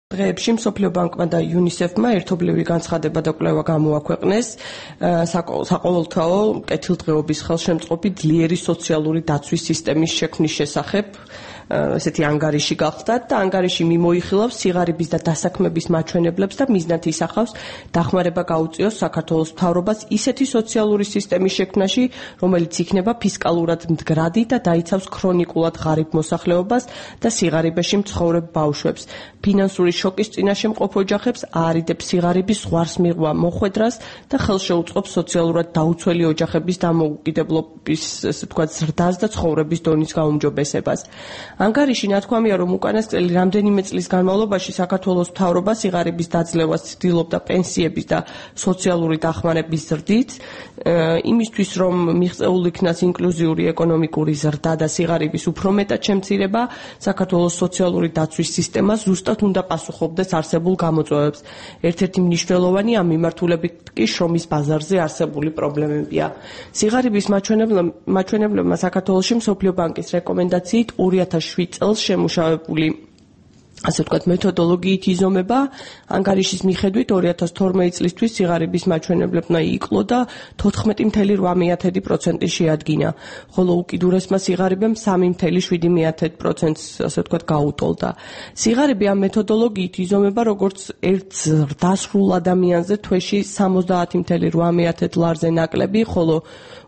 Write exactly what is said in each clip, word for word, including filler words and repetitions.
დღეებში მსოფლიო ბანკმა და იუნისეფმა ერთობლივი განცხადება და კვლევა გამოაქვეყნეს საყოველთაო კეთილდღეობის ხელშემწყობი ძლიერი სოციალური დაცვის სისტემის შექმნის შესახებ. ესეთი ანგარიში გახდათ და ანგარიში მიმოიხილავს სიღარიბის და დასაქმების მაჩვენებლებს და მიზნად ისახავს დახმარება გაუწიოს საქართველოს მთავრობას ისეთი სოციალური სისტემის შექმნაში, რომელიც იქნება ფისკალურად მდგრადი და დაიცავს ქრონიკულად ღარიბ მოსახლეობას და სიღარიბეში მცხოვრებ ბავშვებს. ფინანსური შოკის წინაშე მყოფ ოჯახებს აარიდებს სიღარიბის ზღვარს მიღვა მოხვედრას და ხელს შეუწყობს სოციალურად დაუცველი ოჯახების დამოუკიდებლობის, ესე ვთქვათ, ზრდას და ცხოვრების დონის გაუმჯობესებას. ანგარიში ნათქვამია, რომ უკანასკნელი რამდენიმე წლის განმავლობაში საქართველოს მთავრობა სიღარიბის დაძლევას ცდილობდა პენსიების და სოციალური დახმარების ზრდით, იმისთვის, რომ მიღწეულ იქნას ინკლუზიური ეკონომიკური ზრდა და სიღარიბის უფრო მეტად შემცირება, საქართველოს სოციალური დაცვის სისტემა ზუსტად უნდა პასუხობდეს არსებულ გამოწვევებს. ერთ-ერთი მნიშვნელოვანი ამ მიმართულებით კი შრომის ბაზარზე არსებული პრობლემებია. სიღარიბის მაჩვენებლებმა საქართველოში მსოფლიო ბანკის რეკომენდაციით ორი ათას შვიდ წელს შემუშავებული ასე ვთქვათ მეთოდოლოგიით იზომება. ანგარიშის მიხედვით ორი ათას თორმეტი წლისთვის სიღარიბის მაჩვენებლებმა იკლო და თოთხმეტი წამსული რვა პროცენტი შეადგინა, ხოლო უკიდურესმა სიღარიბემ სამი წამსული შვიდი პროცენტს ასე ვთქვათ გაუტოლდა. სიღარიბი ამ მეთოდოლოგიით იზომება როგორც ერთ ზრდასრულ ადამიანზე თვეში სამოცდაათი წამსული რვა ლარზე ნაკლები, ხოლო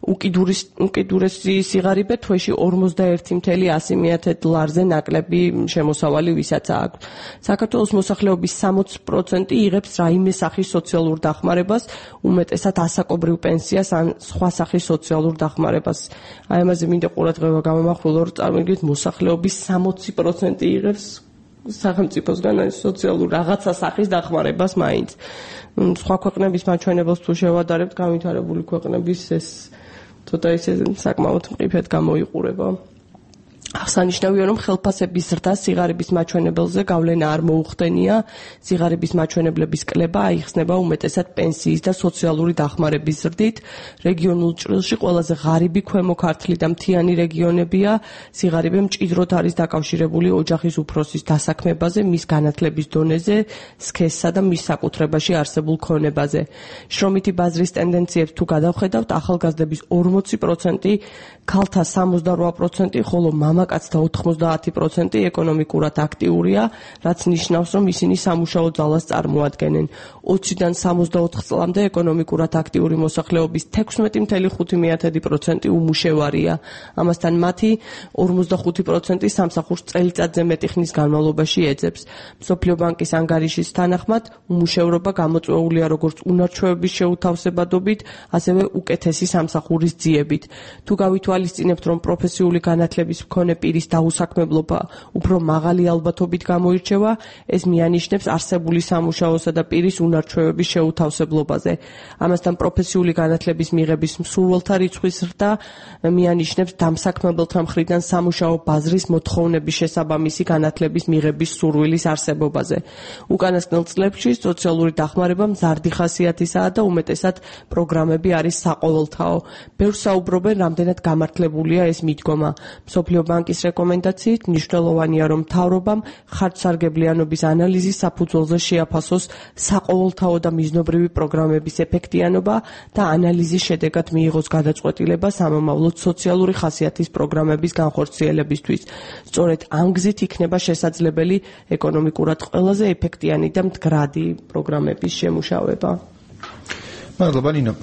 უკიდურესი სიღარიბე თვეში ორმოცდაერთი წამსული ასი ლარზე ნაკლები შემოსავალი ვისაცაა. საქართველოს მოსახლეობის სამოცი პროცენტი იღებს რაიმე სახის სოციალურ დახმარებას, უმეტესად ასაკობრივ პენსიას ან სხვა სახის სოციალურ დახმარებას. აი ამაზე მინდა ყურადღება გამომახვილო, რომ წარმოგიდგენთ, მოსახლეობის სამოცი პროცენტი იღებს სახელმწიფოსგან სოციალურ რაღაცა სახის დახმარებას მაინც. სხვა ქვეყნების მაჩვენებელს თუ შევადარებთ, განვითარებული ქვეყნების ეს ცოტა ისე საკმაოდ მყიფედ გამოიყურება. აღსანიშნავია, რომ ხელფასების ზრდა სიღარიბის მაჩვენებელზე გავლენა არ მოუხდენია. სიღარიბის მაჩვენებლების კლება აიხსნება უმეტესად პენსიის და სოციალური დახმარების ზრდით. რეგიონულ ჭრილში ყველაზე ღარიბი ქვემო ქართლი და მთიანი რეგიონებია. სიღარიბე მჭიდროდ არის დაკავშირებული ოჯახის უფროსის დასაქმებაზე, მის განათლების დონეზე, სქესსა და მის საკუთრებაში არსებულ ქონებაზე. შრომითი ბაზრის ტენდენციებს თუ გადავხედავთ, ახალგაზრდების ორმოცი პროცენტი, ქალთა სამოცდარვა პროცენტი, ხოლო მამაკაცთა ოთხმოცდაათი პროცენტი ეკონომიკურად აქტიურია, რაც ნიშნავს, რომ ისინი სამუშაო ძალას წარმოადგენენ. ოციდან სამოცდაოთხ წლამდე ეკონომიკურად აქტიური მოსახლეობის თექვსმეტი წამსული ხუთი პროცენტი უმუშევარია. ამასთან მათი ორმოცდახუთი პროცენტი სამსახურს წელიწადზე მეტი ხნის განმავლობაში ეძებს. მსოფლიო ბანკის ანგარიშის თანახმად, უმუშევრობა გამოწვეულია როგორც უნარჩვევების შეუთავსებადობით, ასევე უკეთესი სამსახურის ძიებით. თუ გავითვალისწინებთ, რომ პროფესიული განათლების მქონე პირის დაუსაქმებლობა უფრო მაღალი ალბათობით გამოირჩევა, ეს მიანიშნებს არსებული სამუშაოსა და პირის უნარჩვევების შეუთავსებლობაზე. ამასთან პროფესიული განათლების მიღების მსურველთა რიცხვის ზრდა მიანიშნებს დამსაქმებელთა მხრიდან სამუშაო ბაზრის მოთხოვნების შესაბამისი განათლების მიღების სურვილის არსებობაზე. უკანასკნელ წლებში სოციალური დახმარება მზარდი ხასიათისაა და უმეტესად პროგრამები არის საყოველთაო. ბევრს საუბრობენ, რამდენად გამართლებულია ეს მიდგომა. მსოფლიო ბანკის რეკომენდაციით მნიშვნელოვანია, რომ მთავრობამ ხარჯსარგებლიანობის ანალიზის საფუძველზე შეაფასოს საყოველთაო და მიზნობრივი პროგრამების ეფექტიანობა და ანალიზის შედეგად მიიღოს გადაწყვეტილება სამომავლოდ სოციალური ხასიათის პროგრამების განხორციელებისთვის. სწორედ ამ გზით იქნება შესაძლებელი ეკონომიკურად ყველაზე ეფექტიანი და მდგრადი პროგრამების შემუშავება. მადლობა ნინო.